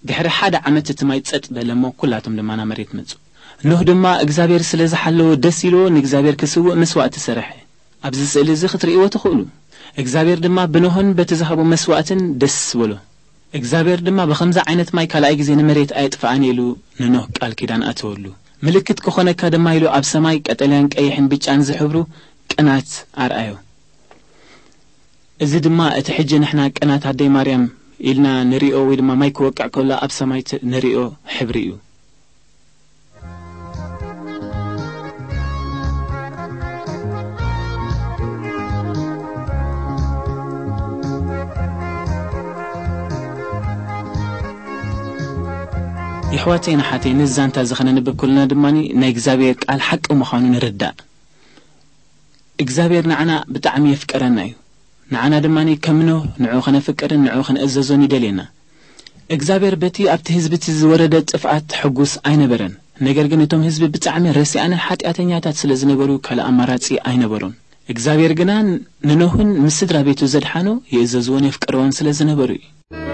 ድሕሪ ሓደ ዓመት እቲ ማይ ጸጥ በለ እሞ፣ ኩላቶም ድማ ናብ መሬት መጹ። ኖህ ድማ እግዚኣብሔር ስለ ዝሓለዎ ደስ ኢልዎ ንእግዚኣብሔር ክስውእ መስዋእቲ ሰረሐ። ኣብዚ ስእሊ እዚ ክትርእይዎ ትኽእሉ። እግዚኣብሔር ድማ ብኖህን በቲ ዝሃቦ መስዋእትን ደስ በሎ። እግዚኣብሔር ድማ ብኸምዚ ዓይነት ማይ ካልኣይ ግዜ ንመሬት ኣየጥፍኣን ኢሉ ንኖህ ቃል ኪዳን ኣተወሉ። ምልክት ክኾነካ ድማ ኢሉ ኣብ ሰማይ ቀጠልያን ቀይሕን ብጫን ዝሕብሩ ቅናት ኣርኣዮ። እዚ ድማ እቲ ሕጂ ንሕና ቅናት ኣደይ ማርያም ኢልና ንሪኦ ወይ ድማ ማይ ክወቅዕ ከሎ ኣብ ሰማይ ት-፣ ንሪኦ ሕብሪ እዩ። የሕዋተይን ኣሓተይን፣ ነዚ ዛንታ እዚ ኸነንብብ ከለና ድማ ናይ እግዚኣብሔር ቃል ሓቂ ምዃኑ ንርዳእ። እግዚኣብሔር ንዓና ብጣዕሚ የፍቀረና እዩ። ንዓና ድማ ከም ኖህ ንዕኡ ኸነፍቅርን ንዕኡ ኸነእዘዞን ይደልየና። እግዚኣብሔር በቲ ኣብቲ ህዝቢ እቲ ዝወረደ ጥፍኣት ሕጉስ ኣይነበረን። ነገር ግን እቶም ህዝቢ ብጣዕሚ ረሲኣንን ሓጢኣተኛታት ስለ ዝነበሩ ካልእ ኣማራጺ ኣይነበሮን። እግዚኣብሔር ግና ንኖህን ምስ ስድራ ቤቱ ዘድሓኖ የእዘዝዎን የፍቅርዎን ስለ ዝነበሩ እዩ።